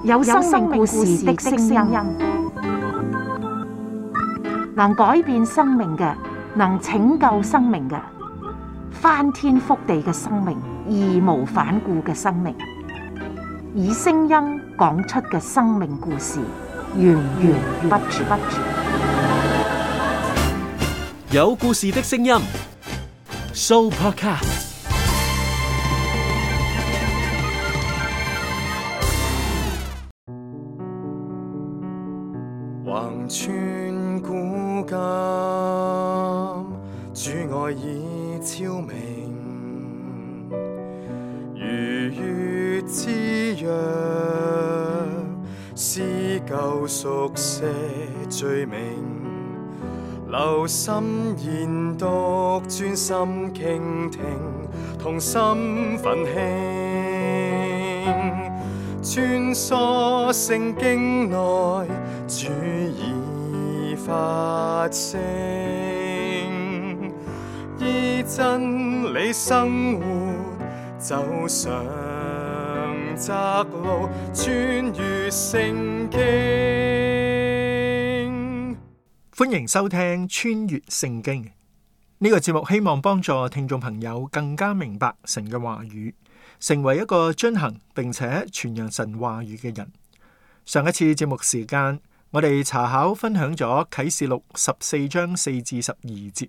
有生命故事的聲音，能改變生命嘅，能拯救生命嘅，翻天覆地嘅生命，義無反顧嘅生命，以聲音講出嘅生命故事，源源不絕。有故事的聲音 ，Sooopodcast。橫穿古今，主愛已超明，如月之約，是救贖些罪名。留心研讀，專心傾聽，同心奮興，穿梭聖經內，主已發聲，依真理生活，走上窄路，穿越聖經。歡迎收聽穿越聖經呢個節目，希望幫助聽眾朋友更加明白神嘅話語，成為一個遵行並且傳揚神話語嘅人。上一次節目時間，我哋查考分享咗啟示錄14章4至12節，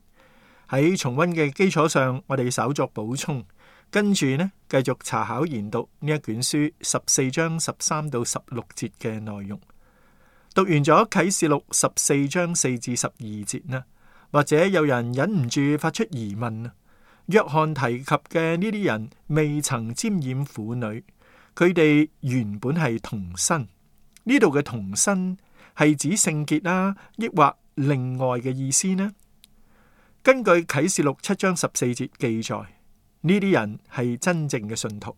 喺重溫嘅基礎上，我哋稍作補充，跟住呢繼續查考研讀呢一卷書14章13到16節嘅內容。讀完咗啟示錄14章4至12節呢，或者有人忍唔住發出疑問啊，約翰提及嘅呢啲人未曾沾染婦女，佢哋原本係童身，呢度嘅童身係指聖潔啊，抑或另外嘅意思呢？根據啟示錄7章14節記載，呢啲人係真正嘅信徒，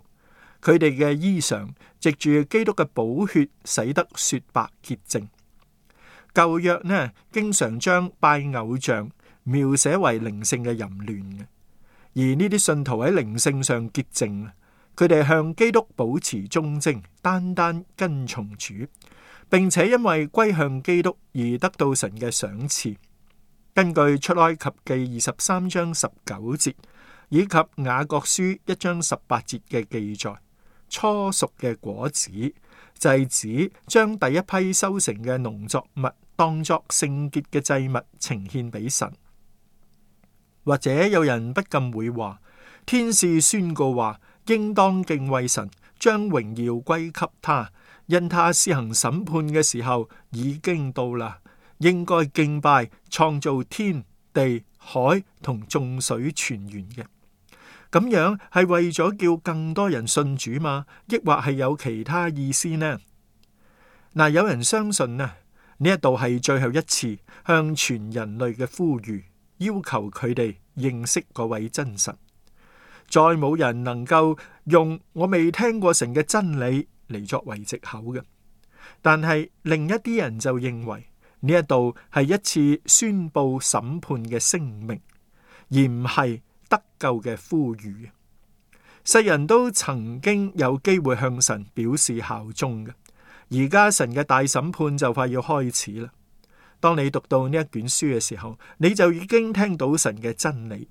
佢哋嘅衣裳藉住基督嘅寶血洗得雪白潔淨。舊約呢，經常將拜偶像描寫為靈性嘅淫亂嘅，而呢啲信徒喺靈性上潔淨，佢哋向基督保持忠貞，單單跟從主，並且因為歸向基督而得到神嘅賞賜。根據出埃及記23章19節以及雅各書1章18節嘅記載，初熟嘅果子就係指將第一批收成嘅農作物當作聖潔嘅祭物呈獻俾神。或者有人不禁會話，天使宣告話，應當敬畏神，將榮耀歸給他，因他施行審判嘅時候已經到啦，應該敬拜創造天地海同眾水泉源嘅。咁樣係為咗叫更多人信主嘛？抑或係有其他意思呢？嗱，有人相信呢一度係最後一次向全人類嘅呼籲，要求佢哋認識嗰位真神。再冇人能夠用我未聽過神嘅真理嚟作為藉口嘅。但係另一啲人就認為呢一度係一次宣布審判嘅聲明，而唔係得救嘅呼籲。世人都曾經有機會向神表示效忠嘅，而家神嘅大審判就快要開始啦。當你讀到呢一卷書嘅時候，你就已經聽到神嘅真理。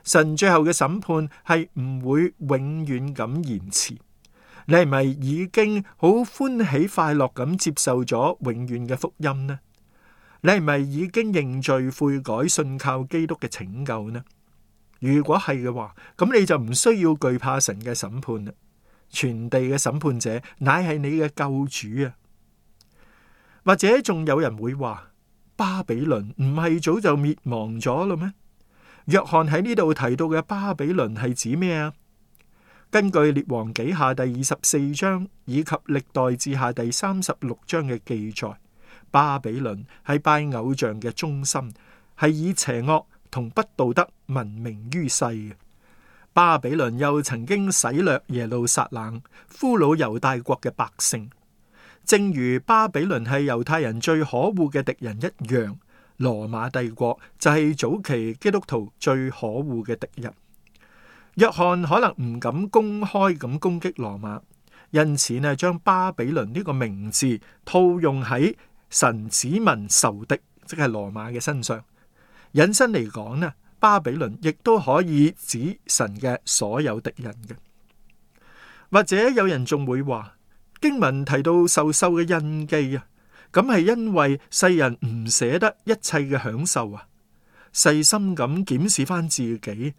神最後嘅審判係唔會永遠咁延遲。你係咪已經好歡喜快樂咁接受咗永遠嘅福音呢？你係咪已經認罪悔改，信靠基督嘅拯救呢？如果係嘅話，咁你就唔需要懼怕神嘅審判啦。全地嘅審判者乃係你嘅救主啊！或者仲有人會話，巴比倫唔係早就滅亡咗啦咩？約翰喺呢度提到嘅巴比倫係指咩啊？根據列王紀下第24章以及歷代志下第36章嘅記載，巴比倫係拜偶像嘅中心，係以邪惡同不道德聞名於世嘅。巴比倫又曾經洗掠耶路撒冷，俘虜猶大國嘅百姓。正如巴比倫係猶太人最可惡嘅敵人一樣，羅馬帝國就係早期基督徒最可惡嘅敵人。約翰可能唔敢公開咁攻擊羅馬，因此呢，將巴比倫呢個名字套用喺神子民仇敵，即係羅馬嘅身上。引申嚟講呢，巴比倫亦都可以指神嘅所有敵人嘅。或者有人仲會話，經文提到受獸嘅印記啊，咁係因為世人唔捨得一切嘅享受啊。細心咁檢視翻自己，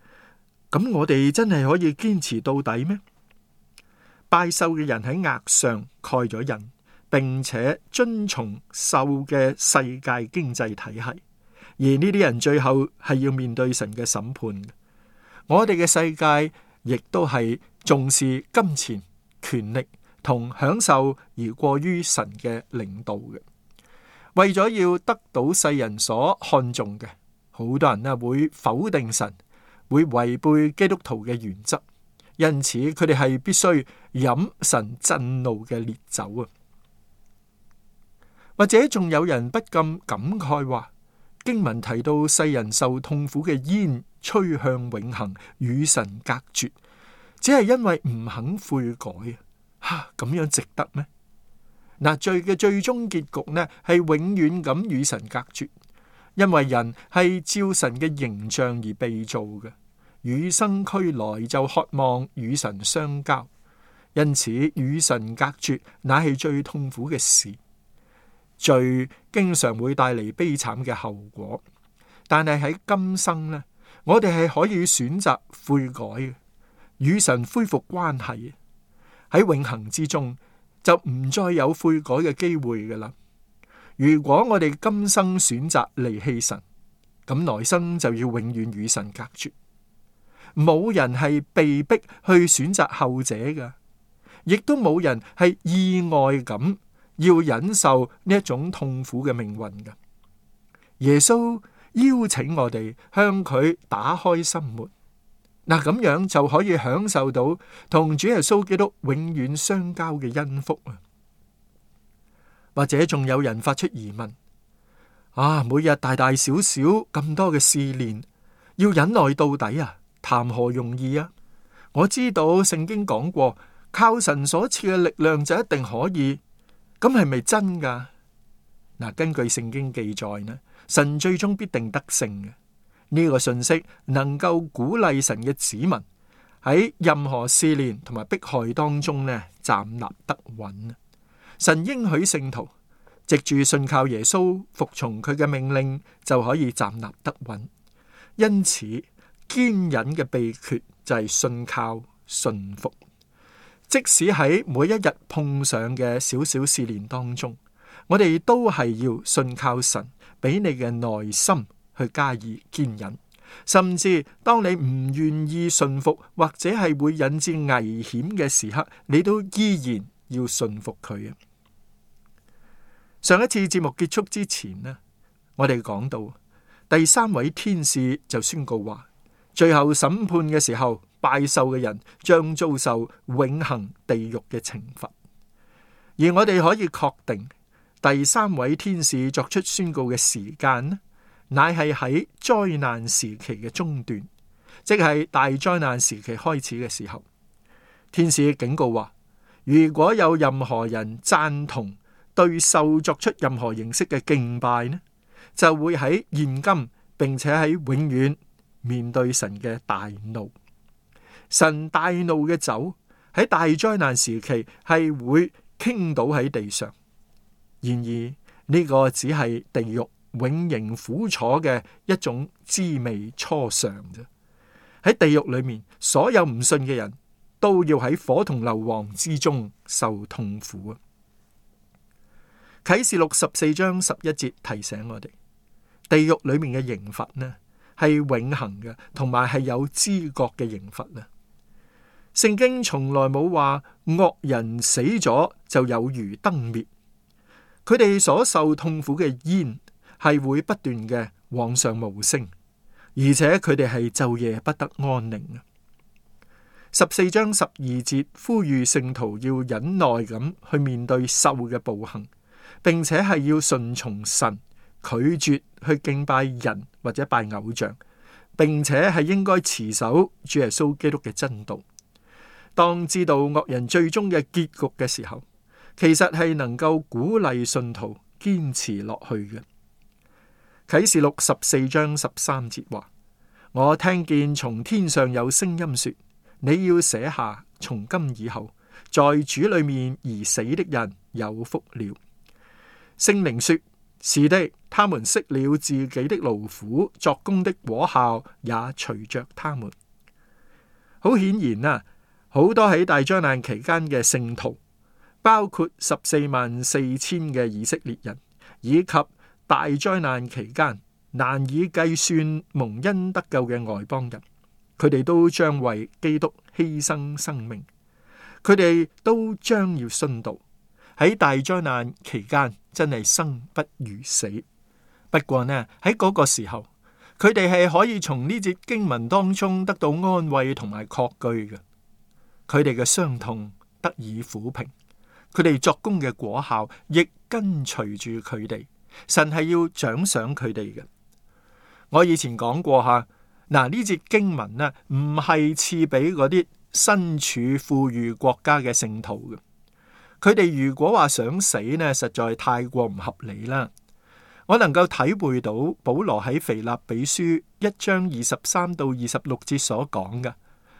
咁我哋真係可以堅持到底咩？拜獸嘅人喺額上蓋咗印，並且遵從獸嘅世界經濟體系，而呢啲人最後係要面對神嘅審判。我哋嘅世界亦都係重視金錢、權力同享受而過於神嘅領導嘅，為咗要得到世人所看重嘅，好多人呢會否定神，會違背基督徒嘅原則，因此佢哋係必須飲神震怒嘅烈酒啊！或者仲有人不禁感慨話，經文提到世人受痛苦嘅煙吹向永恆，與神隔絕，只係因為唔肯悔改啊！咁樣值得咩？嗱，罪嘅最終結局呢係永遠咁與神隔絕，因為人係照神嘅形象而被造嘅，與生俱來就渴望與神相交，因此與神隔絕乃係最痛苦嘅事。罪經常會帶嚟悲慘嘅後果，但係喺今生呢，我哋係可以選擇悔改嘅，與神恢復關係。喺永恆之中就唔再有悔改嘅機會噶啦。如果我哋今生選擇離棄神，咁來生就要永遠與神隔絕。冇人係被逼去選擇後者噶，亦都冇人係意外咁要忍受呢一種痛苦嘅命運噶。耶穌邀請我哋向佢打開心門，嗱，咁樣就可以享受到同主耶穌基督永遠相交嘅恩福啊！或者仲有人發出疑問：每日大大小小咁多嘅試煉，要忍耐到底啊，談何容易啊！我知道聖經講過，靠神所賜嘅力量就一定可以，咁係咪真噶？嗱，根據聖經記載呢，神最終必定得勝嘅。呢個信息能夠鼓勵神嘅子民喺任何試煉同埋迫害當中呢，站立得穩。神應許聖徒藉住信靠耶穌，服從佢嘅命令，就可以站立得穩。因此堅忍嘅秘訣就係信靠信服，即使喺每一日碰上嘅小小試煉當中，我哋都係要信靠神俾你嘅耐心去加以堅忍，甚至當你唔願意信服或者係會引致危險嘅時刻，你都依然要信服佢啊！上一次節目結束之前呢，我哋講到第三位天使就宣告話，最後審判嘅時候，拜獸嘅人將遭受永恆地獄嘅懲罰。而我哋可以確定，第三位天使作出宣告嘅時間呢，乃係喺災難時期嘅中段，即係大災難時期開始嘅時候。天使警告話，如果有任何人贊同對獸作出任何形式嘅敬拜呢，就會喺現今並且喺永遠面對神嘅大怒。神大怒嘅酒喺大災難時期係會傾倒喺地上。然而呢個只係地獄永刑苦楚嘅一種滋味初嘗啫。喺地獄裏面，所有唔信嘅人都要喺火同硫磺之中受痛苦啊！啟示錄14章11節提醒我哋，地獄裏面嘅刑罰呢係永恆嘅，同埋係有知覺嘅刑罰啊！聖經從來冇話惡人死咗就有如燈滅，佢哋所受痛苦嘅煙係會不斷嘅往上冒升，而且佢哋係晝夜不得安寧啊！14章12節呼籲聖徒要忍耐咁去面對獸嘅暴行，並且係要順從神，拒絕去敬拜人或者拜偶像，並且係應該持守主耶穌基督嘅真道。當知道惡人最終嘅結局嘅時候，其實係能夠鼓勵信徒堅持落去嘅。啟示錄14章13節話：我聽見從天上有聲音說，你要寫下，從今以後，在主裏面而死的人有福了。聖靈說：是的，他們息了自己的勞苦，作工的果效也隨着他們。好顯然啊，好多喺大災難期間嘅聖徒，包括144000嘅以色列人，以及大災難期間難以計算蒙恩得救嘅外邦人，佢哋都將為基督犧牲生命，佢哋都將要殉道。喺大災難期間真係生不如死。不過呢，喺嗰個時候，佢哋係可以從呢節經文當中得到安慰同埋確據嘅。佢哋嘅傷痛得以撫平，佢哋作工嘅果效亦跟隨住佢哋。神係要獎賞佢哋嘅。我以前講過吓，嗱，呢節經文呢唔係賜俾嗰啲身處富裕國家嘅聖徒嘅。佢哋如果話想死呢，實在太過唔合理啦。我能夠體會到保羅喺腓立比書1章23到26節所講嘅：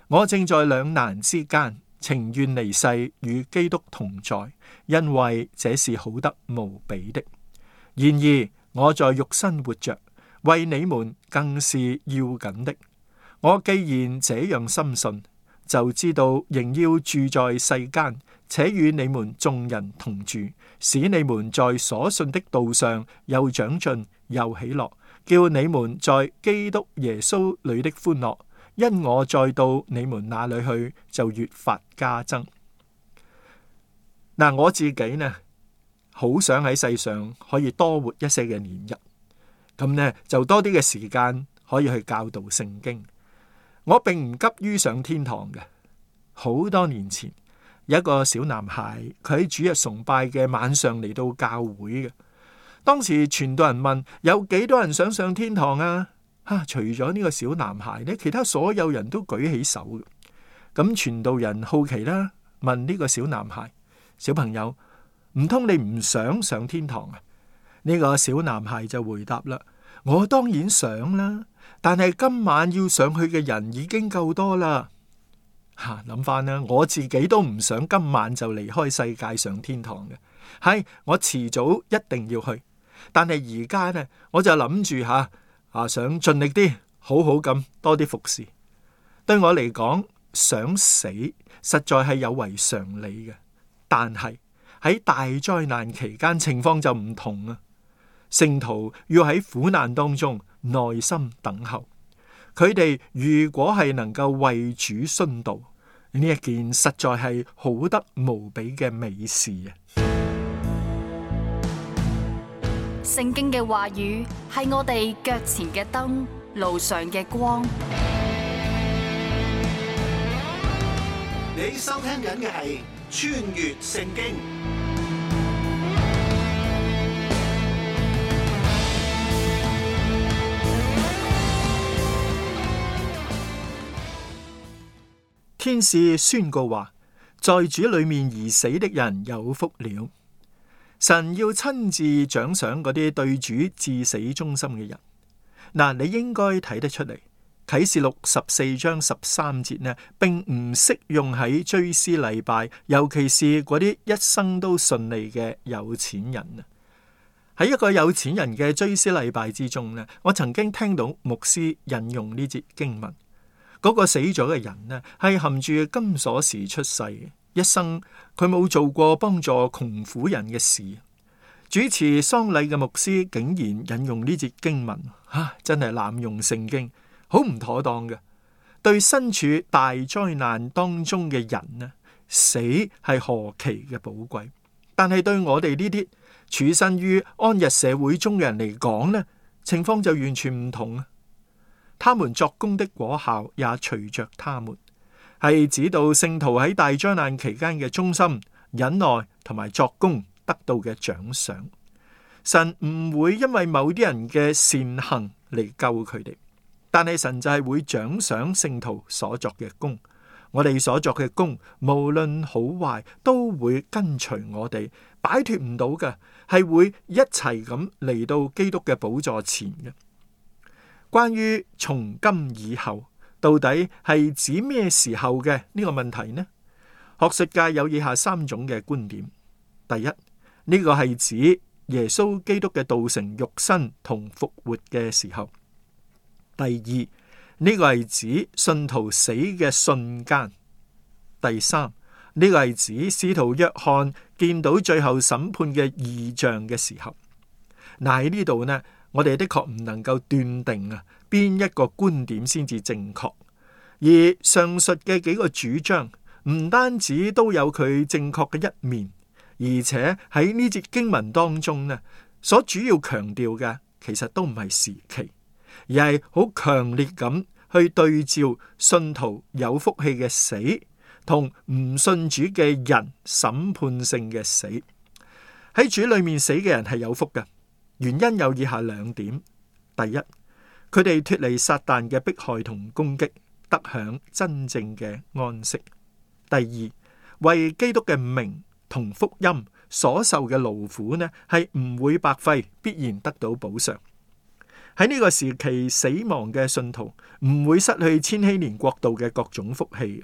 我正在兩難之間，情願離世與基督同在，因為這是好得無比的。然而我在肉身活着，為你們更是要緊的。我既然這樣深信，就知道仍要住在世間，且與你們眾人同住，使你們在所信的道上又長進又喜樂，叫你們在基督耶穌裏的歡樂，因我再到你們那裏去，就越發加增。嗱，我自己呢，好想喺世上可以多活一些嘅年日，咁呢就多啲嘅時間可以去教導聖經。我並唔急於上天堂嘅。好多年前，有一個小男孩，佢喺主日崇拜嘅晚上嚟到教會嘅。當時傳道人問：有幾多人想上天堂啊？除咗呢個小男孩呢，其他所有人都舉起手嘅。咁傳道人好奇啦，問呢個小男孩：小朋友，唔通你唔想上天堂啊？呢個小男孩就回答啦：我當然想啦，但係今晚要上去嘅人已經夠多啦。諗翻啦，我自己都唔想今晚就離開世界上天堂嘅。係我遲早一定要去，但係而家呢，我就諗住想盡力啲，好好咁多啲服侍。對我嚟講，想死實在係有違常理嘅，但係喺大災難期間情況就唔同啊。聖徒要喺苦難當中耐心等候。佢哋如果係能夠為主殉道，呢一件實在係好得無比嘅美事啊！聖經嘅話語係我哋腳前嘅燈，路上嘅光。你收聽緊嘅係穿越聖經。天使宣告話，在主裏面而死的人有福了。神要親自獎賞嗰啲對主至死忠心嘅人。嗱，你應該睇得出嚟，啟示錄14章13節呢，並唔適用喺追思禮拜，尤其是嗰啲一生都順利嘅有錢人啊。喺一個有錢人嘅追思禮拜之中呢，我曾經聽到牧師引用呢節經文。嗰個死咗嘅人呢，係含住金鎖匙出世嘅，一生佢冇做過幫助窮苦人嘅事。主持喪禮嘅牧師竟然引用呢節經文，真係濫用聖經，好唔妥當嘅。對身處大災難當中嘅人呢，死係何其嘅寶貴，但係對我哋呢啲處身於安逸社會中嘅人嚟講呢，情況就完全唔同啊！他們作工的果效也隨着他們，係指到聖徒喺大災難期間嘅忠心、忍耐同埋作工得到嘅獎賞。神唔會因為某啲人嘅善行嚟救佢哋，但係神就係會獎賞聖徒所作嘅工。我哋所作嘅工，無論好壞，都會跟隨我哋，擺脫唔到嘅，係會一齊咁嚟到基督嘅寶座前嘅。關於從今以後，到底係指咩時候嘅呢個問題呢？學術界有以下3種嘅觀點。第一，呢個係指耶穌基督嘅道成肉身同復活嘅時候。第二，呢個係指信徒死嘅瞬間。第三，呢個係指使徒約翰見到最後審判嘅異象嘅時候。嗱，喺呢度呢，我哋的確唔能夠斷定邊一個觀點先至正確。而上述嘅幾個主張唔單止都有佢正確嘅一面，而且喺呢節經文當中呢，所主要強調嘅其實都唔係時期，而係好強烈咁去對照信徒有福氣嘅死同唔信主嘅人審判性嘅死。喺主裏面死嘅人係有福嘅，原因有以下2點。第一，佢哋脫離撒旦嘅迫害同攻擊，得享真正嘅安息。第二，為基督嘅名同福音所受嘅勞苦呢，係唔會白費，必然得到補償。喺呢個時期死亡嘅信徒唔會失去千禧年國度嘅各種福氣。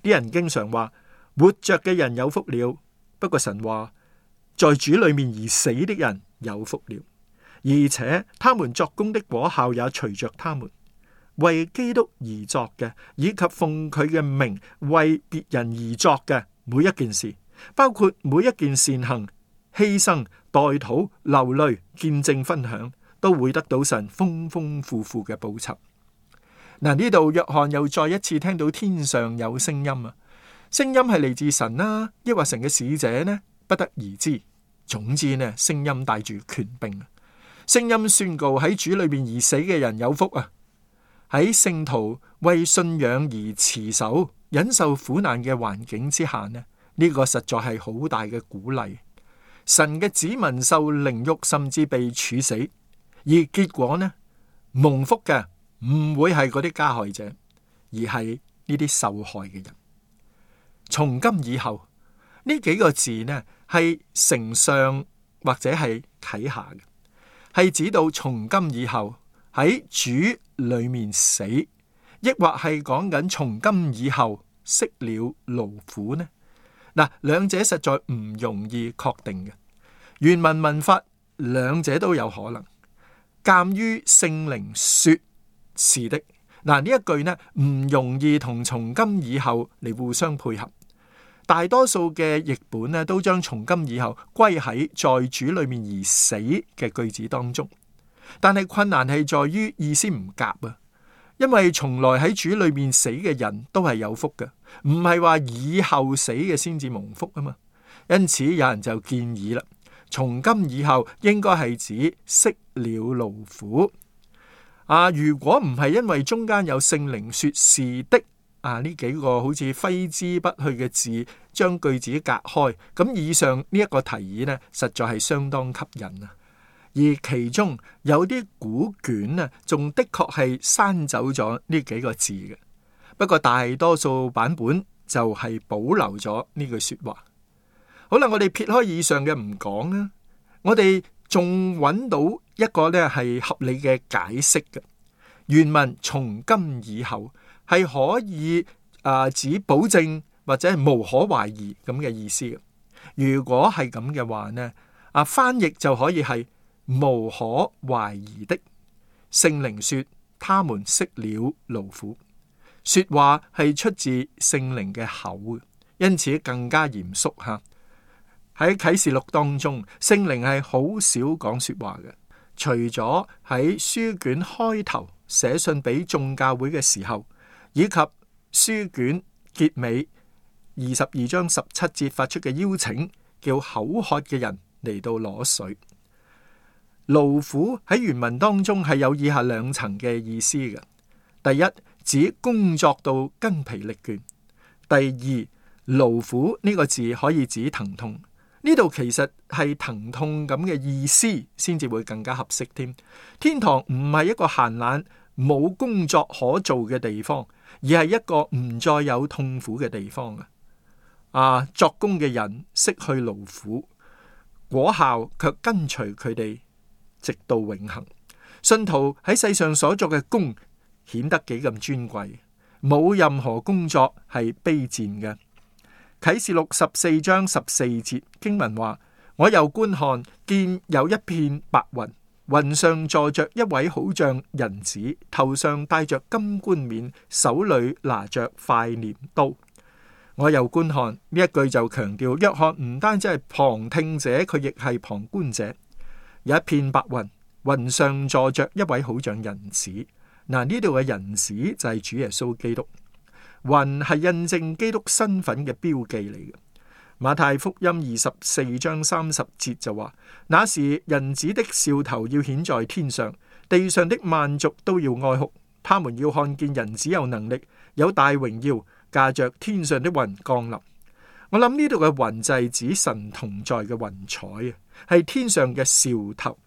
啲人經常話活着嘅人有福了，不過神話在主裏面而死的人有福了，而且他們作工的果效也隨着他們。為基督而作嘅，以及奉佢嘅名為別人而作嘅每一件事，包括每一件善行、犧牲、代禱、流淚、見證、分享，都會得到神豐豐富富嘅報酬。嗱，呢度約翰又再一次聽到天上有聲音啊，聲音係嚟自神啦，抑或神嘅使者呢？不得而知。總之呢，聲音帶住權柄，聲音宣告喺主裏面而死嘅人有福啊！喺聖徒為信仰而持守、忍受苦難嘅環境之下呢，呢個實在係好大嘅鼓勵。神嘅子民受凌辱，甚至被處死，而結果呢，蒙福嘅唔會係嗰啲加害者，而係呢啲受害嘅人。從今以後呢幾個字呢，係承上或者係啟下嘅，係指到從今以後喺主裏面死，抑或係講緊從今以後息了勞苦呢？嗱，兩者實在唔容易確定嘅。原文文法兩者都有可能。鑒於聖靈說是的，嗱，呢一句呢唔容易同從今以後嚟互相配合。大多數嘅譯本呢都將從今以後歸喺在主裏面而死嘅句子當中，但係困難係在於意思唔夾啊。因為從來喺主裏面死嘅人都係有福嘅，唔係話以後死嘅先至蒙福啊嘛。因此有人就建議啦，從今以後應該係指息了勞苦啊。如果唔係因為中間有聖靈說是的啊，呢幾個好似揮之不去嘅字將句子隔開，咁以上呢一個提議呢，實在係相當吸引啊。而其中有啲古卷啊，仲的確係刪走咗呢幾個字嘅。不過大多數版本就係保留咗呢句說話。好啦，我哋撇開以上嘅唔講啦，我哋仲揾到一個呢係合理嘅解釋嘅。原文從今以後係可以指保證或者係無可懷疑咁嘅意思嘅。如果係咁嘅話呢，翻譯就可以係無可懷疑的。聖靈說他們息了勞苦，說話係出自聖靈嘅口，因此更加嚴肅吓。喺啟示錄當中，聖靈係好少講說話嘅，除咗喺書卷開頭寫信俾眾教會嘅時候，以及書卷結尾22章17節發出嘅邀請，叫口渴嘅人嚟到攞水。勞苦喺原文當中係有以下兩層嘅意思嘅。第一，指工作到筋疲力倦；第二，勞苦呢個字可以指疼痛。呢度其實係疼痛咁嘅意思先至會更加合適添。天堂唔係一個閒懶冇工作可做嘅地方，而係一個唔再有痛苦嘅地方作工嘅人失去勞苦，果效卻跟隨佢哋直到永恆。信徒喺世上所作嘅工顯得幾咁尊貴，冇任何工作係卑賤嘅。啟示錄14章14節經文話：我又觀看，見有一片白雲，雲上坐着一位好像人子，頭上戴着金冠冕，手裏拿着快鐮刀。我又觀看，呢一句就強調約翰唔單止係旁聽者，佢亦係旁觀者。有一片白雲，雲上坐着一位好像人子。嗱，呢度嘅人子就係主耶穌基督。雲係印證基督身份嘅標記嚟嘅。馬太福音24章30節就話：那時人子的兆頭要顯在天上，地上的萬族都要哀哭，他們要看見人子有能力，有大榮耀，駕着天上的雲降臨。我諗呢度嘅雲就係指神同在嘅雲彩啊，係天上嘅兆頭。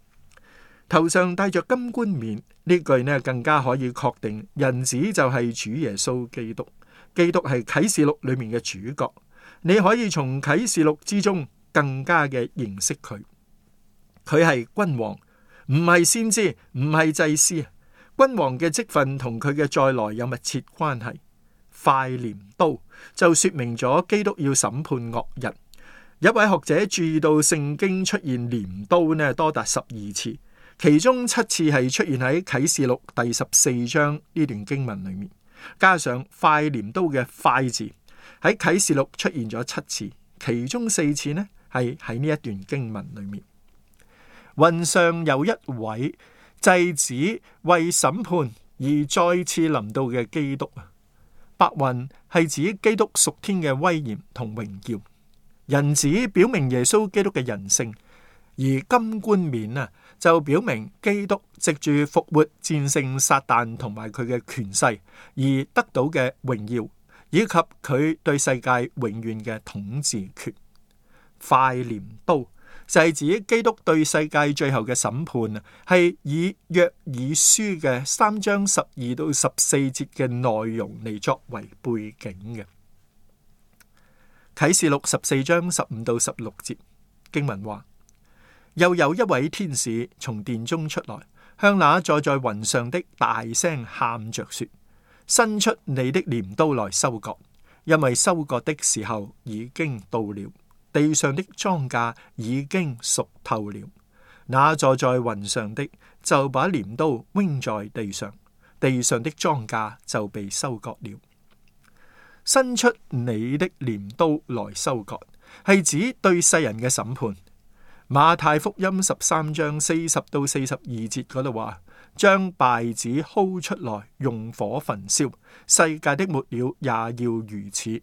頭上戴着金冠冕，呢句呢更加可以確定人子就係主耶穌基督。基督係啟示錄裏面嘅主角，你可以從啟示錄之中更加嘅認識佢。佢係君王，唔係先知，唔係祭司。君王嘅職分同佢嘅再來有密切關係。快鐮刀就說明咗基督要審判惡人。一位學者注意到聖經出現鐮刀呢多達12次，其中7次係出現喺啟示錄第14章呢段經文裏面，加上快鐮刀嘅快字喺啟示錄出現咗7次，其中4次呢係喺呢一段經文裏面。雲上有一位祭子為審判而再次臨到嘅基督。白雲係指基督屬天嘅威嚴同榮耀，人子表明耶穌基督嘅人性，而金冠冕就表明基督藉住復活戰勝撒旦同埋佢嘅權勢而得到嘅榮耀，以及佢對世界永遠嘅統治權。快鐮刀就係指基督對世界最後嘅審判係以約珥書嘅3章12到14節嘅內容嚟作為背景嘅。啟示錄14章15到16節經文話：又有一位天使從殿中出來，向那坐在雲上的大聲喊着說：伸出你的鐮刀來收割，因為收割的時候已經到了。地上的莊稼已經熟透了，那坐在雲上的就把鐮刀扔在地上，地上的莊稼就被收割了。伸出你的鐮刀來收割，係指對世人嘅審判。馬太福音13章40到42節嗰度話：將稗子薅出來，用火焚燒，世界的末了也要如此。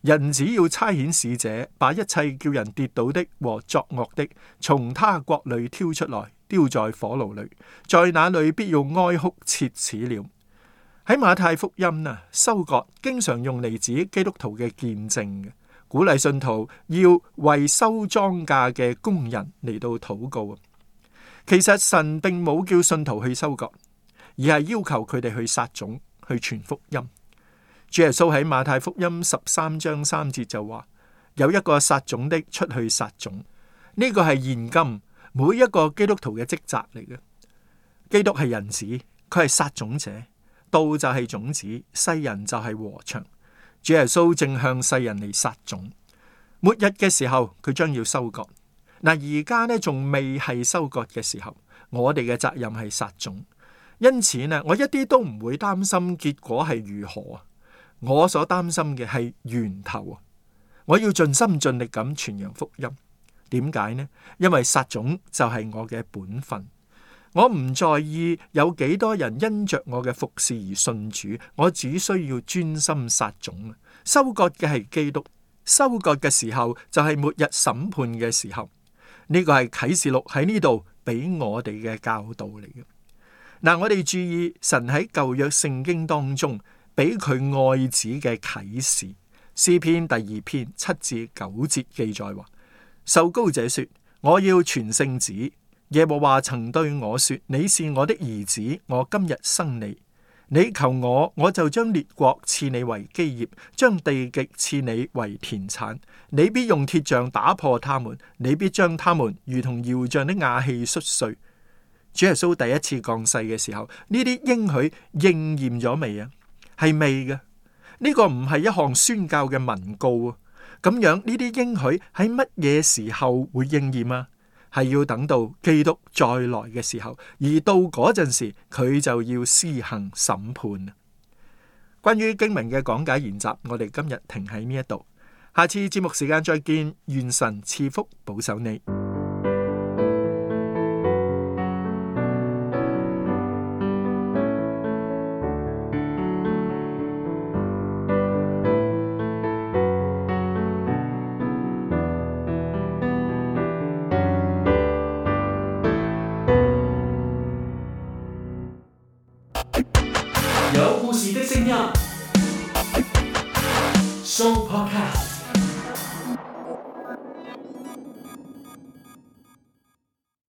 人只要差遣使者，把一切叫人跌倒的和作惡的，從他國裏挑出來，丟在火爐裏，在那裏必要哀哭切齒了。喺馬太福音收割經常用嚟指基督徒嘅見證嘅，鼓勵信徒要為收莊稼嘅工人嚟到禱告。其實神並冇叫信徒去收割，而係要求佢哋去撒種，去傳福音。主耶穌喺馬太福音13章3節就話：有一個撒種的出去撒種。呢個係現今每一個基督徒嘅職責嚟嘅。基督係人子，佢係撒種者，道就係種子，世人就係禾場。主耶穌正向世人嚟撒種。末日嘅時候，佢將要收割。嗱，而家呢仲未係收割嘅時候，我哋嘅責任係撒種。因此呢，我一啲都唔會擔心結果係如何啊。我所擔心嘅係源頭啊！我要盡心盡力咁傳揚福音。點解呢？因為撒種就係我嘅本分。我唔在意有幾多人因着我嘅服侍而信主，我只需要專心撒種。收割嘅係基督，收割嘅時候就係末日審判嘅時候。呢個係啟示錄喺呢度俾我哋嘅教導嚟嘅。嗱，我哋注意神喺舊約聖經當中俾佢愛子嘅啟示。詩篇第2篇7至9節記載話：受膏者說，我要傳聖旨。耶和華曾對我說，你是我的兒子，我今日生你。你求我，我就將列國賜你為基業，將地極賜你為田產。你必用鐵杖打破他們，你必將他們如同窯匠的瓦器摔碎。主耶穌第一次降世嘅時候，呢啲應許應驗咗未啊？係未嘅。呢個唔係一項宣教嘅文告啊。咁樣呢啲應許喺乜嘢時候會應驗啊？係要等到基督再來嘅時候，而到嗰陣時佢就要施行審判。關於經文嘅講解研習，我哋今日停喺呢一度，下次節目時間再見，願神賜福保守你。